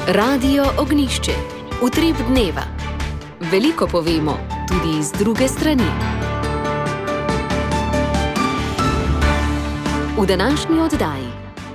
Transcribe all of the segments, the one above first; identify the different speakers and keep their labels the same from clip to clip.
Speaker 1: Radio Ognišče, utrip dneva. Veliko povemo, tudi z druge strani. V današnji oddaji.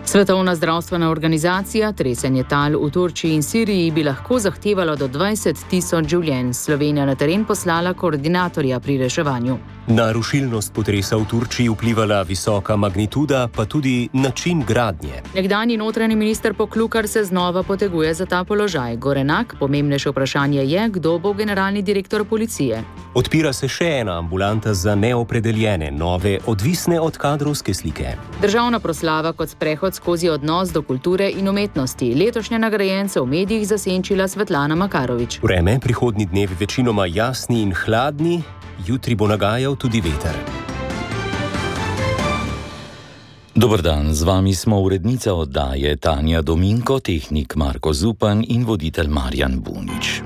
Speaker 2: Svetovna zdravstvena organizacija tresenje tal v Turčiji in Siriji bi lahko zahtevalo do 20.000 življenj. Slovenija na teren poslala koordinatorja pri reševanju.
Speaker 3: Na rušilnost potresa v Turčiji vplivala visoka magnituda, pa tudi način gradnje.
Speaker 2: Nekdanji notranji minister Poklukar se znova poteguje za ta položaj. Gorenak, pomembnejše vprašanje je, kdo bo generalni direktor policije.
Speaker 3: Odpira se še ena ambulanta za neopredeljene, nove, odvisne od kadrovske slike.
Speaker 2: Državna proslava kot sprehod skozi odnos do kulture in umetnosti. Letošnja nagrajenca v medijih zasenčila Svetlana Makarovič.
Speaker 3: Vreme, prihodnji dnevi večinoma jasni in hladni, jutri bo nagajal tudi veter.
Speaker 4: Dober dan, z vami smo urednica oddaje Tanja Dominko, tehnik Marko Zupan in voditelj Marjan Bunič.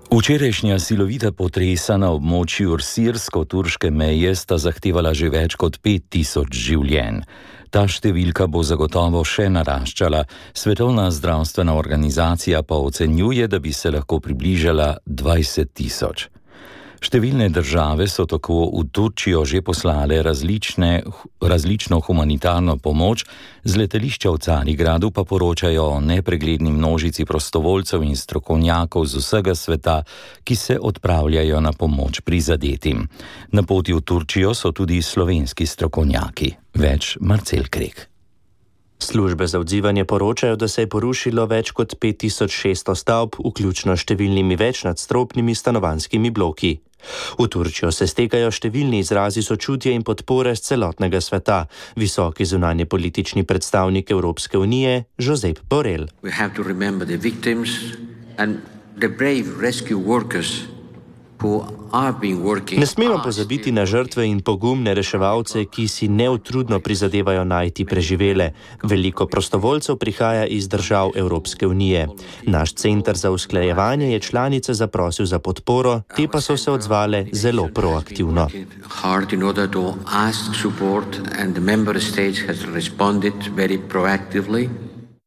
Speaker 4: Včerajšnja silovita potresa na območju sirsko-turške meje sta zahtevala že več kot 5.000 življenj. Ta številka bo zagotovo še naraščala. Svetovna zdravstvena organizacija pa ocenjuje, da bi se lahko približala 20.000. Številne države so tako v Turčijo že poslale različno humanitarno pomoč, z letališča v Carigradu pa poročajo o nepregledni množici prostovoljcev in strokovnjakov z vsega sveta, ki se odpravljajo na pomoč prizadetim. Na poti v Turčijo so tudi slovenski strokovnjaki. Več Marcel Krek.
Speaker 5: Službe za odzivanje poročajo, da se je porušilo več kot 5600 stavb, vključno številnimi večnadstropnimi stanovanjskimi bloki. V Turčijo se stekajo številni izrazi sočutja in podpore z celotnega sveta. Visoki zunanje politični predstavnik Evropske unije, Josep Borrell.
Speaker 6: We have to remember the victims and the brave rescue workers.
Speaker 5: Ne smemo pozabiti na žrtve in pogumne reševalce, ki si neutrudno prizadevajo najti preživele. Veliko prostovoljcev prihaja iz držav Evropske unije. Naš center za usklajevanje je članice zaprosil za podporo, te pa so se odzvale zelo proaktivno.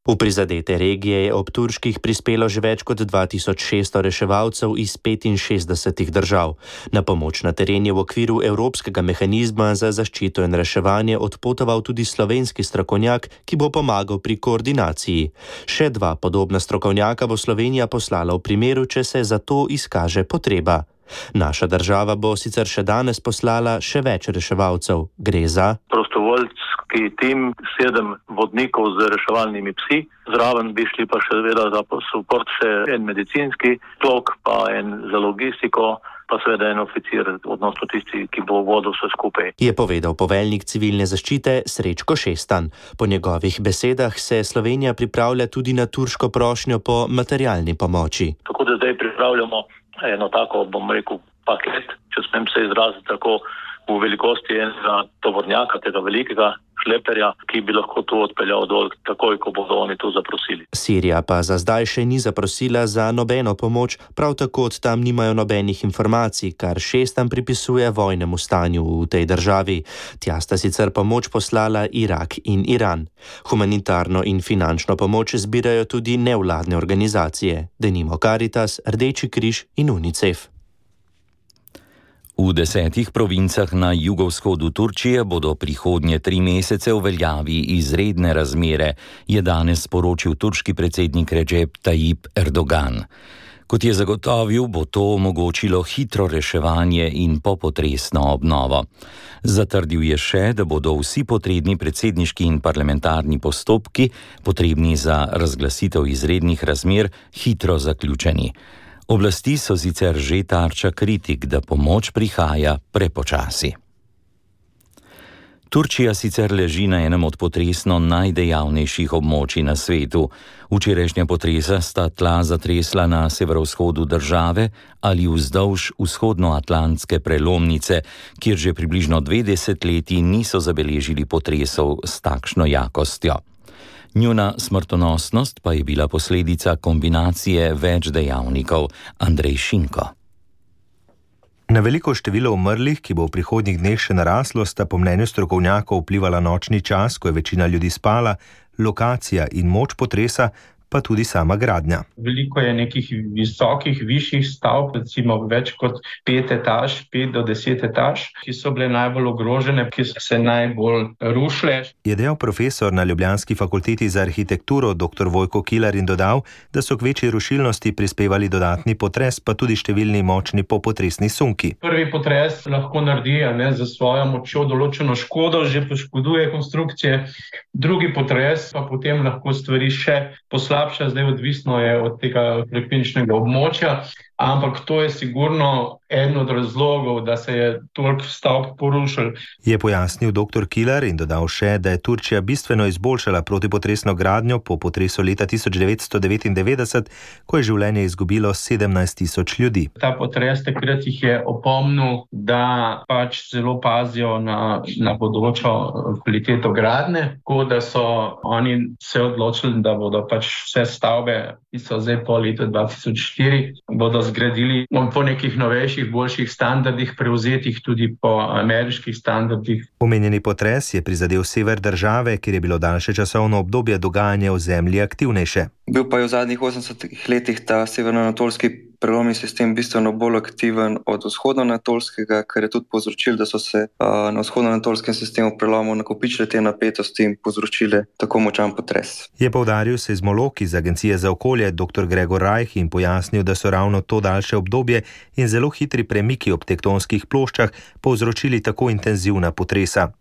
Speaker 5: V prizadete regije je ob turških prispelo že več kot 2600 reševalcev iz 65 držav. Na pomoč na teren je v okviru Evropskega mehanizma za zaščito in reševanje odpotoval tudi slovenski strokovnjak, ki bo pomagal pri koordinaciji. Še 2 podobna strokovnjaka bo Slovenija poslala v primeru, če se za to izkaže potreba. Naša država bo sicer še danes poslala še več reševalcev. Gre za
Speaker 7: prostovoljski tim, 7 vodnikov z reševalnimi psi. Zraven bi šli pa še seveda za support še en medicinski tlok, pa en za logistiko, pa seveda en oficir, odnosno tisti, ki bo vodil vse skupaj.
Speaker 5: Je povedal poveljnik civilne zaščite Srečko Šestan. Po njegovih besedah se Slovenija pripravlja tudi na turško prošnjo po materialni pomoči.
Speaker 7: Tako da zdaj pripravljamo eno tako, bom rekel, paket, če smem se izraziti tako, v velikosti enega tovornjaka, tega velikega šleperja, ki bi lahko tu odpeljal dol, takoj, ko bodo oni tu zaprosili.
Speaker 5: Sirija pa za zdaj še ni zaprosila za nobeno pomoč, prav tako od tam nimajo nobenih informacij, kar Šestan pripisuje vojnemu stanju v tej državi. Tja sta sicer pomoč poslala Irak in Iran. Humanitarno in finančno pomoč zbirajo tudi nevladne organizacije, denimo Caritas, Rdeči križ in UNICEF.
Speaker 4: V 10 provincah na jugovzhodu Turčije bodo prihodnje 3 mesece v veljavi izredne razmere, je danes sporočil turški predsednik Recep Tayyip Erdogan. Kot je zagotovil, bo to omogočilo hitro reševanje in popotresno obnovo. Zatrdil je še, da bodo vsi potrebni predsedniški in parlamentarni postopki, potrebni za razglasitev izrednih razmer, hitro zaključeni. Oblasti so sicer že tarča kritik, da pomoč prihaja prepočasi. Turčija sicer leži na enem od potresno najdejavnejših območij na svetu. Včerajšnja potresa sta tla zatresla na severovzhodu države ali vzdolž vzhodnoatlantske prelomnice, kjer že približno 2 desetletji niso zabeležili potresov s takšno jakostjo. Njuna smrtonosnost pa je bila posledica kombinacije več dejavnikov. Andrej Šinko.
Speaker 8: Na veliko število umrlih, ki bo v prihodnjih dneh še naraslo, sta po mnenju strokovnjakov vplivala nočni čas, ko je večina ljudi spala, lokacija in moč potresa, pa tudi sama gradnja.
Speaker 9: Veliko je nekih visokih, višjih stavb, recimo več kot 5 etaž, 5 do 10 etaž, ki so bile najbolj ogrožene, ki so se najbolj rušile.
Speaker 8: Je dejal profesor na ljubljanski fakulteti za arhitekturo dr. Vojko Kilar in dodal, da so k večji rušilnosti prispevali dodatni potres, pa tudi številni močni popotresni sunki.
Speaker 9: Prvi potres lahko naredi za svojo močjo določeno škodo, že poškoduje konstrukcije. Drugi potres pa potem lahko stvari še poslabša, zdaj odvisno je od tega frekvenčnega območja, ampak to je sigurno eden od razlogov, da se je toliko stavb porušil.
Speaker 8: Je pojasnil dr. Kilar in dodal še, da je Turčija bistveno izboljšala protipotresno gradnjo po potresu leta 1999, ko je življenje izgubilo 17.000 ljudi.
Speaker 9: Ta potres takrat jih je opomnil, da pač zelo pazijo na bodočo kvaliteto gradnje, tako da so oni se odločili, da bodo pač vse stavbe, ki so zdaj po letu 2004, bodo zgradili po nekih novejših, boljših standardih, prevzetih tudi po ameriških standardih.
Speaker 8: Omenjeni potres je prizadel sever države, kjer je bilo daljše časovno obdobje dogajanja v zemlji aktivnejše.
Speaker 10: Bil pa je v zadnjih 80 letih ta severnoanatolski prelomni sistem bistveno bolj aktiven od vzhodnoanatolskega, kar je tudi povzročilo, da so se na vzhodnoanatolskem sistemu prelomov nakopičile te napetosti in povzročile tako močan potres.
Speaker 8: Je poudaril seizmolog iz Agencije za okolje dr. Gregor Rajh in pojasnil, da so ravno to daljše obdobje in zelo hitri premiki ob tektonskih ploščah povzročili tako intenzivna potresa.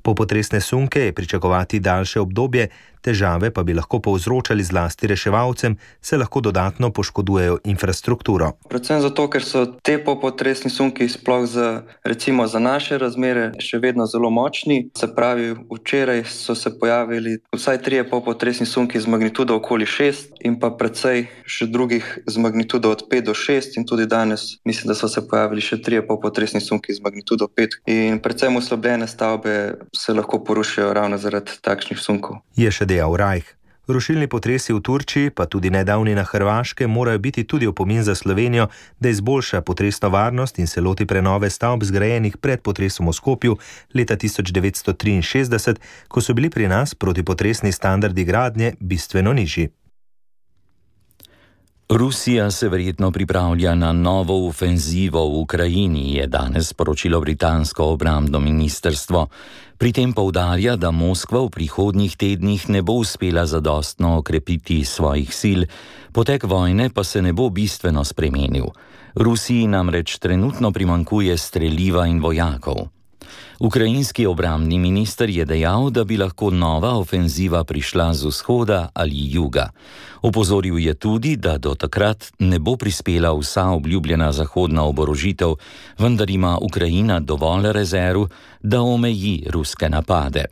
Speaker 8: Popotresne sunke je pričakovati daljše obdobje, težave pa bi lahko povzročali zlasti reševalcem, se lahko dodatno poškodujejo infrastrukturo.
Speaker 10: Predvsem zato, ker so te popotresni sunki sploh recimo za naše razmere še vedno zelo močni. Se pravi, včeraj so se pojavili vsaj 3 popotresni sunki z magnitudo okoli 6 in pa precej še drugih z magnitudo od 5 do 6 in tudi danes mislim, da so se pojavili še 3 popotresni sunki z magnitudo 5 in predvsem oslabljene stavbe se lahko porušijo ravno zaradi takšnih sunkov.
Speaker 8: Je še dejal Rajh. Rušilni potresi v Turčiji, pa tudi nedavni na Hrvaškem, morajo biti tudi opomin za Slovenijo, da izboljša potresno varnost in se loti prenove stavb zgrajenih pred potresom v Skopju leta 1963, ko so bili pri nas protipotresni standardi gradnje bistveno nižji.
Speaker 4: Rusija se verjetno pripravlja na novo ofenzivo v Ukrajini, je danes sporočilo britansko obrambno ministrstvo. Pri tem poudarja, da Moskva v prihodnjih tednih ne bo uspela zadostno okrepiti svojih sil, potek vojne pa se ne bo bistveno spremenil. Rusiji namreč trenutno primanjkuje streliva in vojakov. Ukrajinski obrambni minister je dejal, da bi lahko nova ofenziva prišla z vzhoda ali juga. Opozoril je tudi, da do takrat ne bo prispela vsa obljubljena zahodna oborožitev, vendar ima Ukrajina dovolj rezerv, da omeji ruske napade.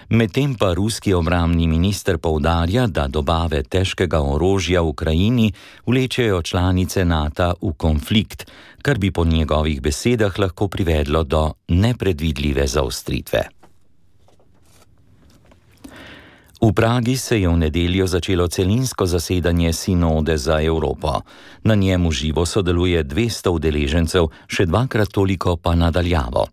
Speaker 4: Medtem pa ruski obrambni minister poudarja, da dobave težkega orožja v Ukrajini vlečejo članice NATO v konflikt, kar bi po njegovih besedah lahko privedlo do nepredvidljive zaostritve. V Pragi se je v nedeljo začelo celinsko zasedanje Sinode za Evropo. Na njem v živo sodeluje 200 udeležencev, še 2-krat toliko pa nadaljavo.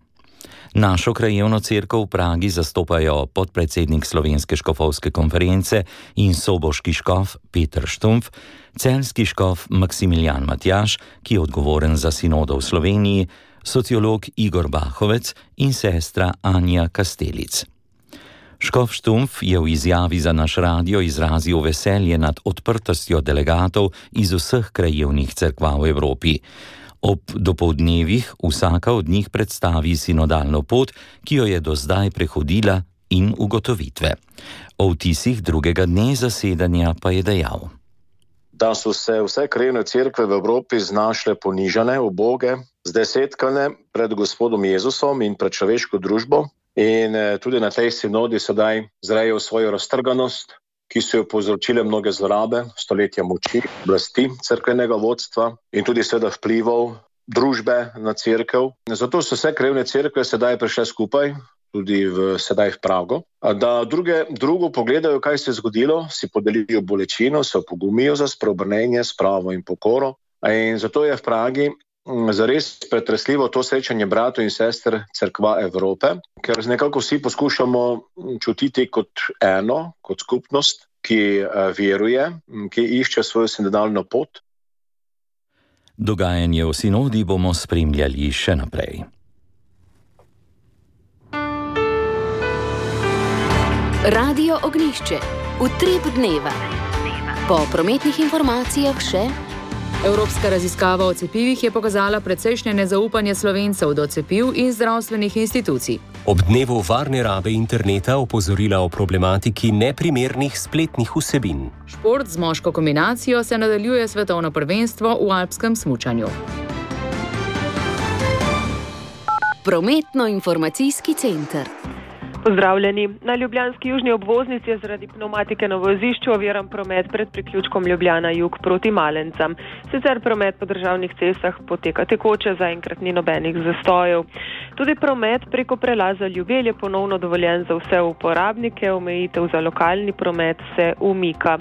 Speaker 4: Našo krajevno cerkev v Pragi zastopajo podpredsednik Slovenske škofovske konference in soboški škof Peter Štumpf, celjski škof Maksimilijan Matjaž, ki je odgovoren za sinodo v Sloveniji, sociolog Igor Bahovec in sestra Anja Kastelic. Škof Štumpf je v izjavi za naš radio izrazil veselje nad odprtostjo delegatov iz vseh krajevnih cerkva v Evropi. Ob dopoldnevih vsaka od njih predstavi sinodalno pot, ki jo je do zdaj prehodila, in ugotovitve. O vtisih drugega dne zasedanja pa je dejal:
Speaker 11: Da so se vse krajevne cerkve v Evropi znašle ponižane, uboge, zdesetkane pred Gospodom Jezusom in pred človeško družbo, in tudi na tej sinodi sedaj zrejo svojo raztrganost, ki so jo povzročile mnoge zlorabe, stoletja moči, oblasti cerkvenega vodstva in tudi seveda vplivov družbe na cerkev. Zato so vse krajevne cerkve sedaj prišle skupaj, tudi sedaj v Prago, da drugo pogledajo, kaj se je zgodilo, si podelijo bolečino, se opogumijo za spreobrnenje, spravo in pokoro. In zato je v Pragi zares pretresljivo to srečanje bratov in sester Cerkva Evrope, ker nekako vsi poskušamo čutiti kot eno, kot skupnost, ki veruje, ki išče svojo sinodalno pot.
Speaker 4: Dogajanje v sinodi bomo spremljali še naprej.
Speaker 1: Radio Ognjišče. Utrip dneva. Po prometnih informacijah še.
Speaker 2: Evropska raziskava o cepivih je pokazala precejšnje nezaupanje Slovencev do cepiv in zdravstvenih institucij.
Speaker 3: Ob dnevu varne rabe interneta opozorila o problematiki neprimernih spletnih vsebin.
Speaker 2: Šport z moško kombinacijo se nadaljuje svetovno prvenstvo v alpskem smučanju.
Speaker 1: Prometno-informacijski center.
Speaker 12: Pozdravljeni. Na ljubljanski južni obvoznici je zaradi pneumatike na vozišču oviran promet pred priključkom Ljubljana jug proti Malencam. Sicer promet po državnih cestah poteka tekoče, zaenkrat ni nobenih zastojev. Tudi promet preko prelaza Ljubelj je ponovno dovoljen za vse uporabnike, omejitev za lokalni promet se umika.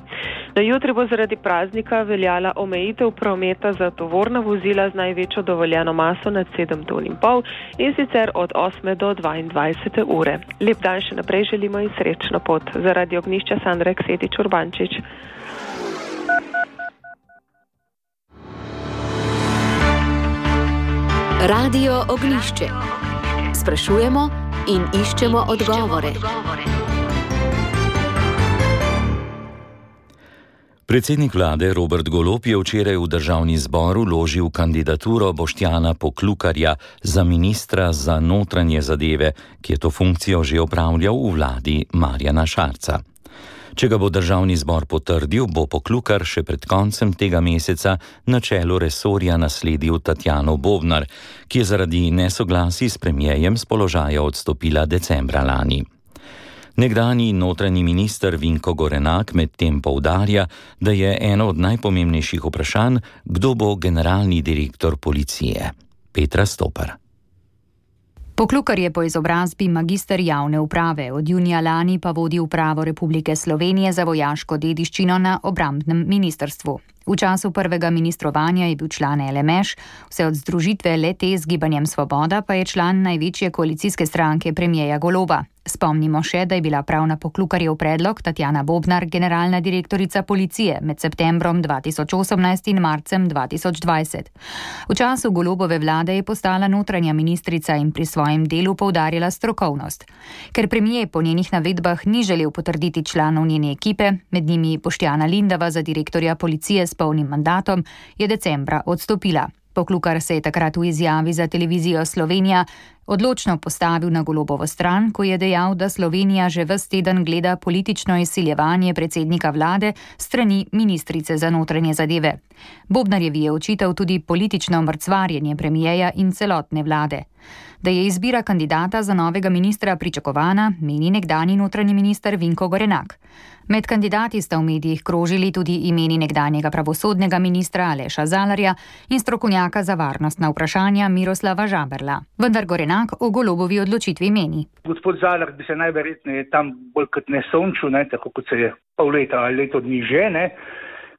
Speaker 12: Na jutri bo zaradi praznika veljala omejitev prometa za tovorna vozila z največjo dovoljeno maso nad 7,5 ton in sicer od 8 do 22 ure. Lep dan še naprej želimo in srečno pot. Zaradi Ognjišča Sandra Eksetič Urbančič.
Speaker 1: Radio Ognjišče. Sprašujemo in iščemo odgovore.
Speaker 4: Predsednik vlade Robert Golob je včeraj v državni zbor vložil kandidaturo Boštjana Poklukarja za ministra za notranje zadeve, ki je to funkcijo že opravljal v vladi Marjana Šarca. Če ga bo državni zbor potrdil, bo Poklukar še pred koncem tega meseca na čelu resorja nasledil Tatjano Bobnar, ki je zaradi nesoglasij s premierjem s položaja odstopila decembra lani. Nekdanji notranji minister Vinko Gorenak medtem poudarja, da je eno od najpomembnejših vprašanj, kdo bo generalni direktor policije. Petra Stopar.
Speaker 13: Poklukar je po izobrazbi magister javne uprave, od junija lani pa vodi upravo Republike Slovenije za vojaško dediščino na obrambnem ministrstvu. V času prvega ministrovanja je bil član LMŠ, vse od združitve le-te z Gibanjem Svoboda pa je član največje koalicijske stranke premierja Goloba. Spomnimo še, da je bila prav na Poklukarjev predlog Tatjana Bobnar generalna direktorica policije med septembrom 2018 in marcem 2020. V času Golobove vlade je postala notranja ministrica in pri svojem delu poudarjala strokovnost. Ker premier po njenih navedbah ni želel potrditi članov njene ekipe, med njimi Boštjana Lindava za direktorja policije s polnim mandatom, je decembra odstopila. Poklukar se je takrat v izjavi za televizijo Slovenija odločno postavil na Golobovo stran, ko je dejal, da Slovenija že ves teden gleda politično izsiljevanje predsednika vlade strani ministrice za notranje zadeve. Bobnarjevi je očital tudi politično mrcvarjenje premierja in celotne vlade. Da je izbira kandidata za novega ministra pričakovana, meni nekdanji notranji minister Vinko Gorenak. Med kandidati sta v medijih krožili tudi imeni nekdanjega pravosodnega ministra Aleša Zalarja in strokovnjaka za varnostna vprašanja Miroslava Žaberla. Vendar Gorenak o Golobovi odločitvi meni.
Speaker 14: Gospod Zalar bi se najverjetneje tam bolj kot ne sončil, tako kot se je pol leta ali leto dni že,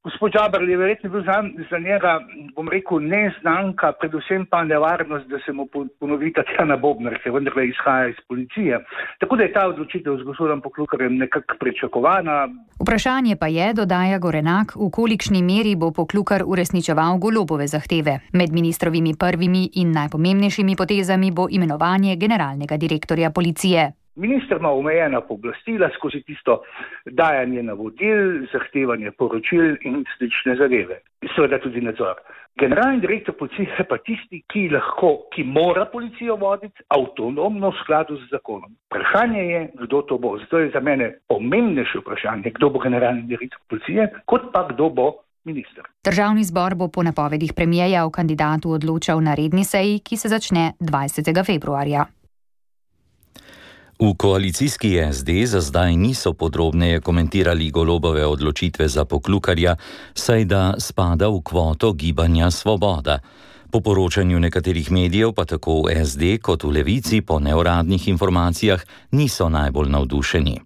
Speaker 14: Gospod Žaberl je verjetno bil za njega, bom rekel, neznanka, predvsem pa nevarnost, da se mu ponovi Tatjana Bobnar, ki vendarle izhaja iz policije. Tako da je ta odločitev z gospodom Poklukarjem nekako pričakovana.
Speaker 13: Vprašanje pa je, dodaja Gorenak, v kolikšni meri bo Poklukar uresničeval Golobove zahteve. Med ministrovimi prvimi in najpomembnejšimi potezami bo imenovanje generalnega direktorja policije.
Speaker 14: Minister ima omejena pooblastila skozi tisto dajanje navodil, zahtevanje poročil in slične zadeve. Seveda tudi nadzor. Generalni direktor policije je pa tisti, ki mora policijo voditi avtonomno v skladu z zakonom. Vprašanje je, kdo to bo. Zato je za mene pomembnejše vprašanje, kdo bo generalni direktor policije, kot pa kdo bo minister.
Speaker 13: Državni zbor bo po napovedih premierja o kandidatu odločal na redni seji, ki se začne 20. februarja.
Speaker 4: V koalicijski SD za zdaj niso podrobneje komentirali Golobove odločitve za Poklukarja, saj da spada v kvoto Gibanja Svoboda. Po poročanju nekaterih medijev pa tako v SD kot v Levici po neuradnih informacijah niso najbolj navdušeni.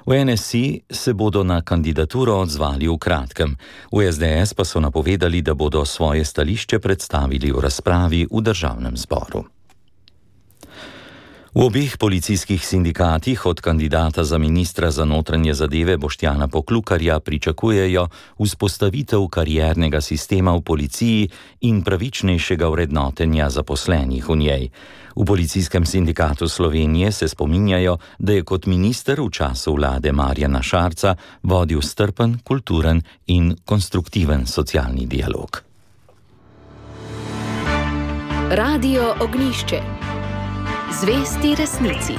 Speaker 4: V NSI se bodo na kandidaturo odzvali v kratkem. V SDS pa so napovedali, da bodo svoje stališče predstavili v razpravi v državnem zboru. V obeh policijskih sindikatih od kandidata za ministra za notranje zadeve Boštjana Poklukarja pričakujejo vzpostavitev kariernega sistema v policiji in pravičnejšega vrednotenja zaposlenih v njej. V Policijskem sindikatu Slovenije se spominjajo, da je kot minister v času vlade Marjana Šarca vodil strpen, kulturen in konstruktiven socialni dialog.
Speaker 1: Radio Ognjišče. Zvesti resnici.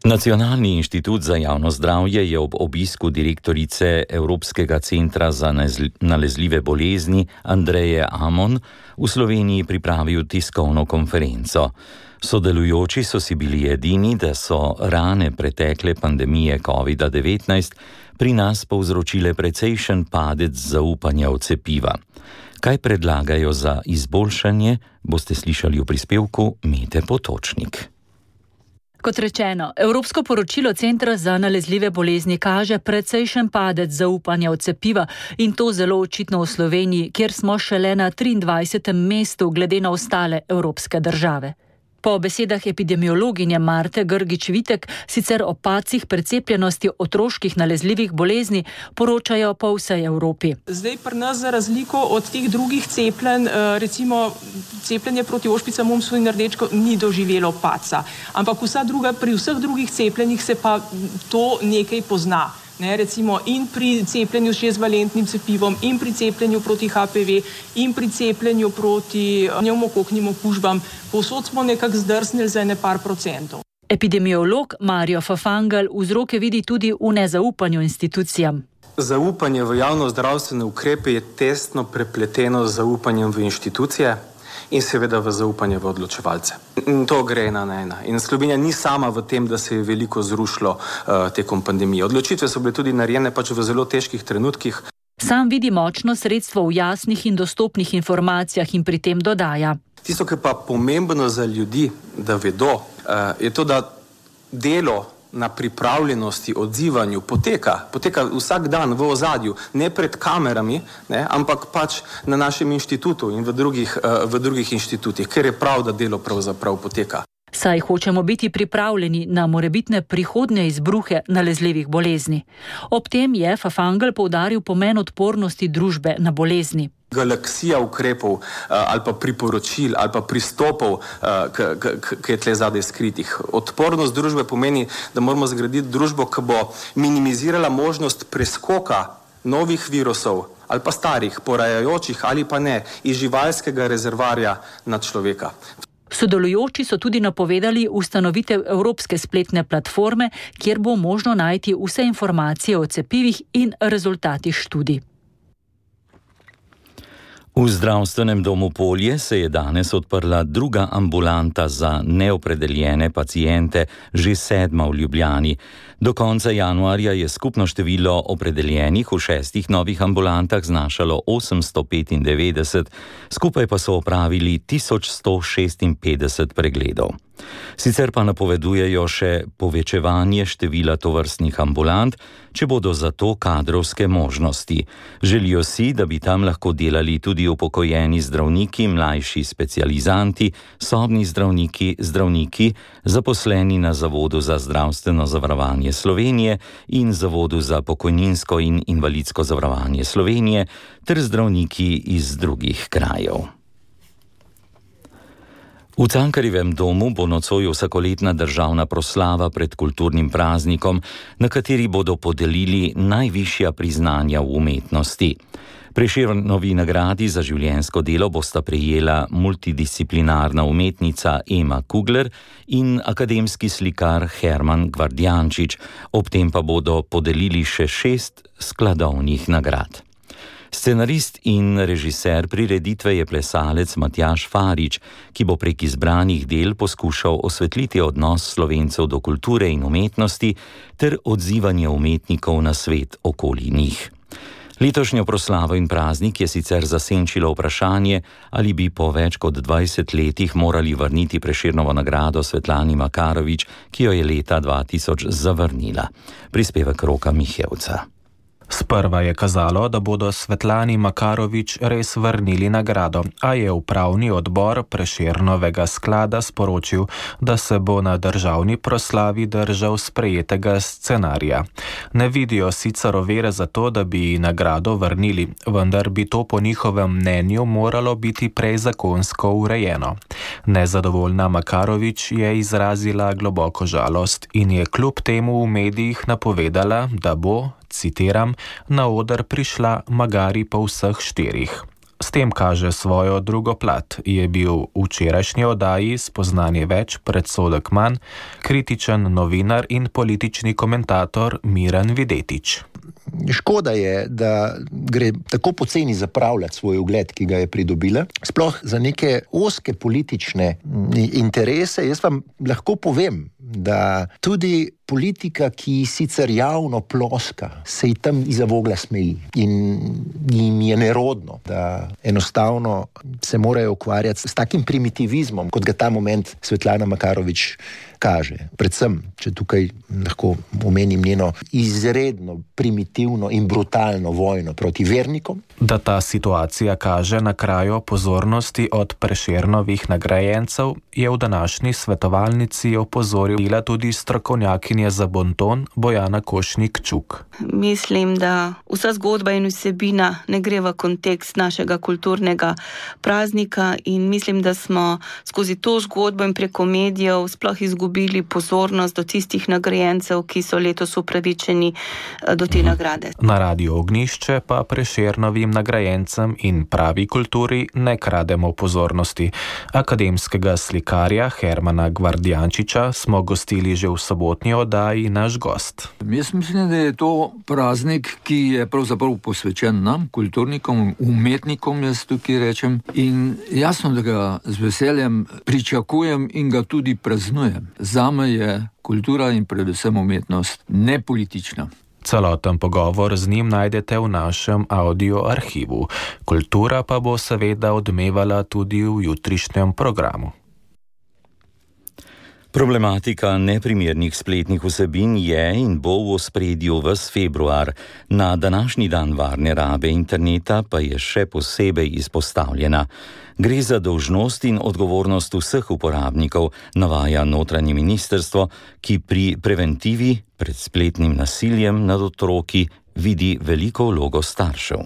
Speaker 4: Nacionalni inštitut za javno zdravje je ob obisku direktorice Evropskega centra za nalezljive bolezni Andreje Amon v Sloveniji pripravil tiskovno konferenco. Sodelujoči so si bili edini, da so rane pretekle pandemije COVID-19 pri nas povzročile precejšen padec zaupanja v cepiva. Kaj predlagajo za izboljšanje, boste slišali v prispevku Mete Potočnik.
Speaker 15: Kot rečeno, Evropsko poročilo Centra za nalezljive bolezni kaže precejšen padec zaupanja v cepiva in to zelo očitno v Sloveniji, kjer smo šele na 23. mestu glede na ostale evropske države. Po besedah epidemiologinje Marte Grgič-Vitek sicer o padcih precepljenosti otroških nalezljivih bolezni poročajo po vsej Evropi.
Speaker 16: Zdaj pri nas za razliko od teh drugih cepljenj, recimo cepljenje proti ošpicam, mumsu in rdečko ni doživelo padca, ampak pri vseh drugih cepljenjih se pa to nekaj pozna. Recimo in pri cepljenju s 6-valentnim cepivom, in pri cepljenju proti HPV, in pri cepljenju proti pnevmokoknim okužbam, povsod smo nekako zdrsnili za par procentov.
Speaker 15: Epidemiolog Mario Fafangel vzroke vidi tudi v nezaupanju institucijam.
Speaker 17: Zaupanje v javno-zdravstvene ukrepe je tesno prepleteno z zaupanjem v inštitucije in seveda v zaupanje v odločevalce. To gre ena na ena. In Slovenija ni sama v tem, da se je veliko zrušilo tekom pandemije. Odločitve so bile tudi narejene pač v zelo težkih trenutkih.
Speaker 15: Sam vidi močno sredstvo v jasnih in dostopnih informacijah in pri tem dodaja.
Speaker 17: Tisto, ki je pa pomembno za ljudi, da vedo, je to, da delo na pripravljenosti, odzivanju poteka vsak dan v ozadju, ne pred kamerami, ampak pač na našem inštitutu in v drugih inštitutih, ker je prav, da delo pravzaprav poteka.
Speaker 15: Saj hočemo biti pripravljeni na morebitne prihodnje izbruhe nalezljivih bolezni. Ob tem je Fafangel poudaril pomen odpornosti družbe na bolezni.
Speaker 17: Galaksija ukrepov ali pa priporočil ali pa pristopov, ki je tle zadaj skritih. Odpornost družbe pomeni, da moramo zgraditi družbo, ki bo minimizirala možnost preskoka novih virusov ali pa starih, porajajočih ali pa ne, iz živalskega rezervarja na človeka.
Speaker 15: Sodelujoči so tudi napovedali ustanovitev evropske spletne platforme, kjer bo možno najti vse informacije o cepivih in rezultatih študij.
Speaker 4: V zdravstvenem domu Polje se je danes odprla druga ambulanta za neopredeljene paciente, že 7. v Ljubljani. Do konca januarja je skupno število opredeljenih v 6 novih ambulantah znašalo 895, skupaj pa so opravili 1156 pregledov. Sicer pa napovedujejo še povečevanje števila tovrstnih ambulant, če bodo za to kadrovske možnosti. Želijo si, da bi tam lahko delali tudi upokojeni zdravniki, mlajši specializanti, sobni zdravniki, zaposleni na Zavodu za zdravstveno zavarovanje Slovenije in Zavodu za pokojninsko in invalidsko zavarovanje Slovenije ter zdravniki iz drugih krajev. V Cankarjevem domu bo nocoj vsakoletna državna proslava pred kulturnim praznikom, na kateri bodo podelili najvišja priznanja v umetnosti. Prešernovi nagradi za življenjsko delo bosta prejela multidisciplinarna umetnica Ema Kugler in akademski slikar Herman Gvardjančič, ob tem pa bodo podelili še 6 skladovnih nagrad. Scenarist in režiser prireditve je plesalec Matjaž Farič, ki bo prek izbranih del poskušal osvetliti odnos Slovencev do kulture in umetnosti ter odzivanje umetnikov na svet okoli njih. Letošnjo proslavo in praznik je sicer zasenčilo vprašanje, ali bi po več kot 20 letih morali vrniti Prešernovo nagrado Svetlani Makarovič, ki jo je leta 2000 zavrnila. Prispevek Roka Mihevca.
Speaker 18: Sprva je kazalo, da bodo Svetlani Makarovič res vrnili nagrado, a je upravni odbor Prešernovega sklada sporočil, da se bo na državni proslavi držal sprejetega scenarija. Ne vidijo sicer ovire za to, da bi nagrado vrnili, vendar bi to po njihovem mnenju moralo biti prej zakonsko urejeno. Nezadovoljna Makarovič je izrazila globoko žalost in je kljub temu v medijih napovedala, da bo, citiram, na oder prišla magari po vseh 4. S tem kaže svojo drugo plat. Je bil v včerajšnji oddaji Spoznanje več, predsodek manj kritičen novinar in politični komentator Miran Videtič.
Speaker 19: Škoda je, da gre tako poceni zapravljati svoj ugled, ki ga je pridobila, sploh za neke ozke politične interese. Jaz vam lahko povem, da tudi politika, ki sicer javno ploska, se ji tam iza vogla smeji in jim je nerodno, da enostavno se morajo ukvarjati s takim primitivizmom, kot ga ta moment Svetlana Makarovič kaže. Predvsem, če tukaj lahko omenim njeno izredno primitivno in brutalno vojno proti vernikom.
Speaker 18: Da ta situacija kaže na kraju pozornosti od Prešernovih nagrajencev, je v današnji svetovalnici opozorila tudi strokovnjakinja za bonton Bojana Košnik-Čuk.
Speaker 20: Mislim, da vsa zgodba in vsebina ne gre v kontekst našega kulturnega praznika in mislim, da smo skozi to zgodbo in preko medijev sploh izgubili pozornost do tistih nagrajencev, ki so letos upravičeni do te nagrade.
Speaker 18: Na Radiu Ognjišče pa Prešernovim nagrajencem in pravi kulturi ne krademo pozornosti. Akademskega slikarja Hermana Gvardjančiča smo gostili že v sobotni oddaji Naš gost.
Speaker 21: Jaz mislim, da je to praznik, ki je pravzaprav posvečen nam, kulturnikom, umetnikom, jaz tukaj rečem, in jasno, da ga z veseljem pričakujem in ga tudi praznujem. Zame je kultura in predvsem umetnost nepolitična.
Speaker 18: Celoten pogovor z njim najdete v našem audio arhivu. Kultura pa bo seveda odmevala tudi v jutrišnjem programu.
Speaker 4: Problematika neprimernih spletnih vsebin je in bo v ospredju ves februar. Na današnji dan varne rabe interneta pa je še posebej izpostavljena. Gre za dolžnost in odgovornost vseh uporabnikov, navaja notranje ministrstvo, ki pri preventivi pred spletnim nasiljem nad otroki vidi veliko vlogo staršev.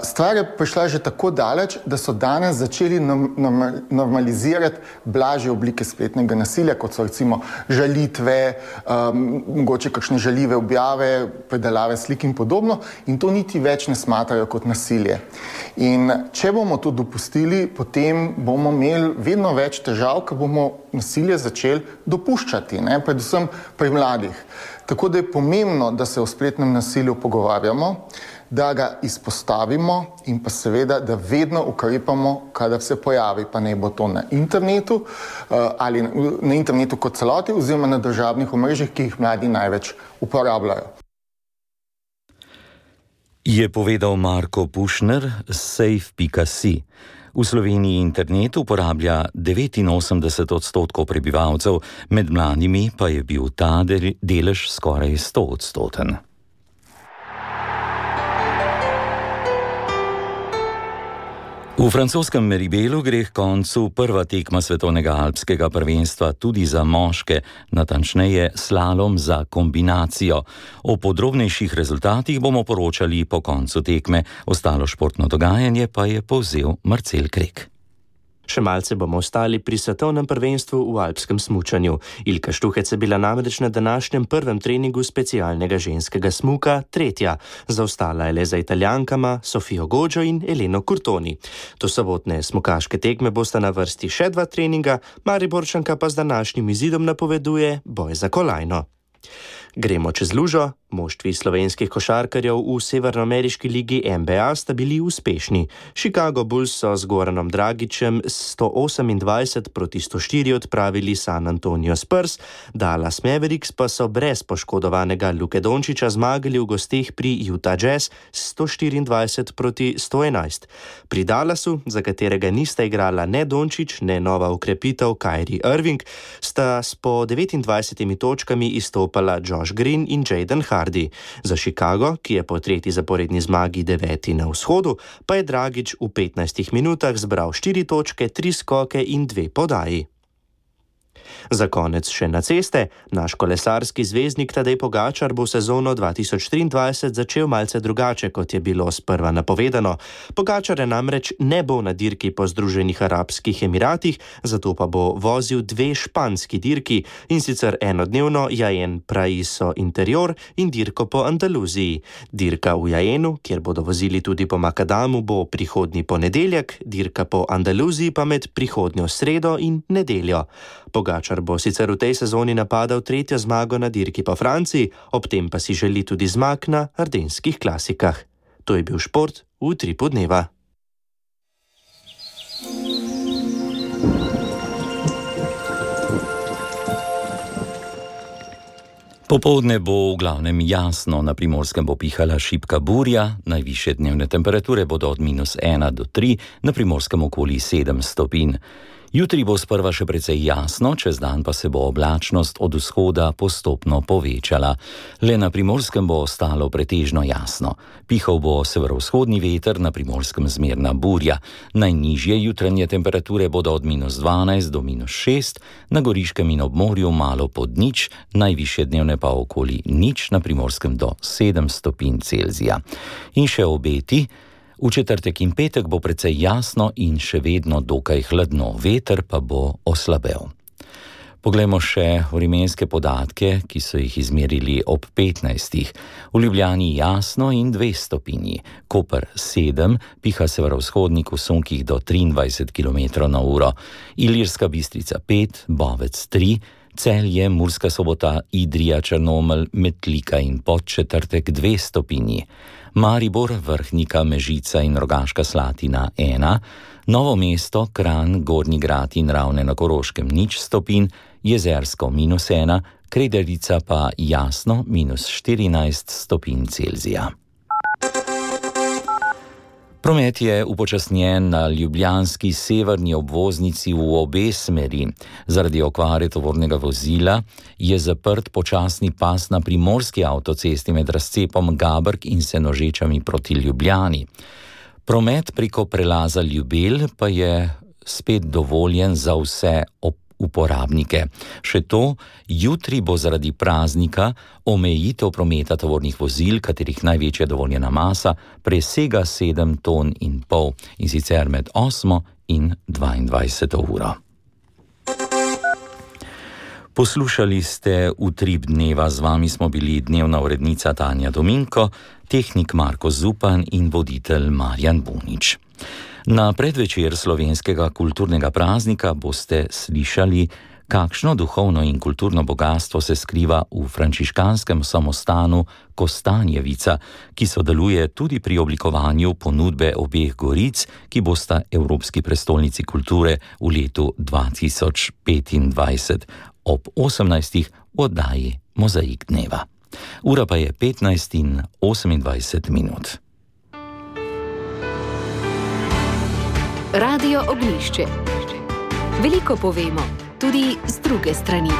Speaker 22: Stvar je prišla že tako daleč, da so danes začeli normalizirati blažje oblike spletnega nasilja, kot so recimo žalitve, mogoče kakšne žaljive objave, predelave slik in podobno, in to niti več ne smatrajo kot nasilje. In če bomo to dopustili, potem bomo imeli vedno več težav, ker bomo nasilje začeli dopuščati, predvsem pri mladih. Tako da je pomembno, da se o spletnem nasilju pogovarjamo, da ga izpostavimo in pa seveda, da vedno ukrepamo, kadar se pojavi, pa ne bo to na internetu ali na internetu kot celoti oziroma na družabnih omrežjih, ki jih mladi največ uporabljajo.
Speaker 4: Je povedal Marko Pušner s safe.si. V Sloveniji internet uporablja 89% prebivalcev, med mladimi pa je bil ta delež skoraj 100%. V francoskem Meribelu gre k koncu prva tekma svetovnega alpskega prvenstva tudi za moške, natančneje slalom za kombinacijo. O podrobnejših rezultatih bomo poročali po koncu tekme, ostalo športno dogajanje pa je povzel Marcel Krek.
Speaker 5: Še malce bomo ostali pri svetovnem prvenstvu v alpskem smučanju. Ilka Štuhec je bila namreč na današnjem prvem treningu specialnega ženskega smuka tretja. Zaostala je le za Italijankama Sofijo Godžo in Eleno Curtoni. Do sobotne smukaške tekme bosta na vrsti še 2 treninga, Mariborčanka pa z današnjim izidom napoveduje boj za kolajno. Gremo čez lužo. Moštvi slovenskih košarkarjev v severnoameriški ligi NBA sta bili uspešni. Chicago Bulls so z Goranom Dragićem 128-104 odpravili San Antonio Spurs, Dallas Mavericks pa so brez poškodovanega Luke Dončića zmagali v gosteh pri Utah Jazz 124-111. Pri Dallasu, za katerega nista igrala ne Dončić, ne nova ukrepitev Kyrie Irving, sta s po 29 točkami izstopala Josh Green in Jaden Hardy. Za Chicago, ki je po tretji zaporedni zmagi 9. na vzhodu, pa je Dragić v 15 minutah zbral 4 točke, 3 skoke in 2 podaji. Za konec še na ceste. Naš kolesarski zvezdnik Tadej Pogačar bo sezono 2023 začel malce drugače, kot je bilo sprva napovedano. Pogačar namreč ne bo na dirki po Združenih arabskih emiratih, zato pa bo vozil 2 španski dirki, in sicer enodnevno Jaén Paraíso Interior in dirko po Andaluziji. Dirka v Jaénu, kjer bodo vozili tudi po Makadamu, bo prihodnji ponedeljek, dirka po Andaluziji pa med prihodnjo sredo in nedeljo. Pogačar bo sicer v tej sezoni napadal 3. zmago na dirki po Franciji, ob tem pa si želi tudi zmag na ardenskih klasikah. To je bil šport v Utripu dneva.
Speaker 4: Popoldne bo v glavnem jasno, na Primorskem bo pihala šibka burja, najvišje dnevne temperature bodo od -1 do 3, na Primorskem okoli 7 stopinj. Jutri bo sprva še precej jasno, čez dan pa se bo oblačnost od vzhoda postopno povečala. Le na Primorskem bo ostalo pretežno jasno. Pihal bo severovzhodni veter, na Primorskem zmerna burja. Najnižje jutranje temperature bodo od -12 do -6, na Goriškem in ob morju malo pod nič, najvišje dnevne pa okoli nič, na Primorskem do 7 stopinj Celzija. In še obeti. V četrtek in petek bo precej jasno in še vedno dokaj hladno, veter pa bo oslabel. Poglejmo še vremenske podatke, ki so jih izmerili ob 15. V Ljubljani jasno in 2 stopinji, Koper 7, piha severovzhodnik v sunkih do 23 km/h, Ilirska Bistrica 5, Bovec 3, Celje, Murska Sobota, Idrija, Črnomelj, Metlika in Podčetrtek 2 stopinji, Maribor, Vrhnika, Mežica in Rogaška Slatina 1, Novo mesto, Kranj, Gornji Grad in Ravne na Koroškem 0 stopinj, Jezersko -1, Krederica pa jasno -14 stopinj Celzija. Promet je upočasnjen na ljubljanski severni obvoznici v obe smeri. Zaradi okvare tovornega vozila je zaprt počasni pas na primorski avtocesti med razcepom Gabrk in Senožečami proti Ljubljani. Promet preko prelaza Ljubelj pa je spet dovoljen za vse uporabnike. Še to, jutri bo zaradi praznika omejitev prometa tovornih vozil, katerih največja dovoljena masa presega 7,5 ton, in sicer med 8 in 22 uro. Poslušali ste Utrip dneva, z vami smo bili dnevna urednica Tanja Dominko, tehnik Marko Zupan in voditelj Marjan Bunič. Na predvečer slovenskega kulturnega praznika boste slišali, kakšno duhovno in kulturno bogatstvo se skriva v frančiškanskem samostanu Kostanjevica, ki sodeluje tudi pri oblikovanju ponudbe obeh goric, ki bosta Evropski prestolnici kulture v letu 2025 ob 18. v oddaji Mozaik dneva. Ura pa je 15:28.
Speaker 1: Radio Ognjišče. Veliko povemo, tudi z druge strani.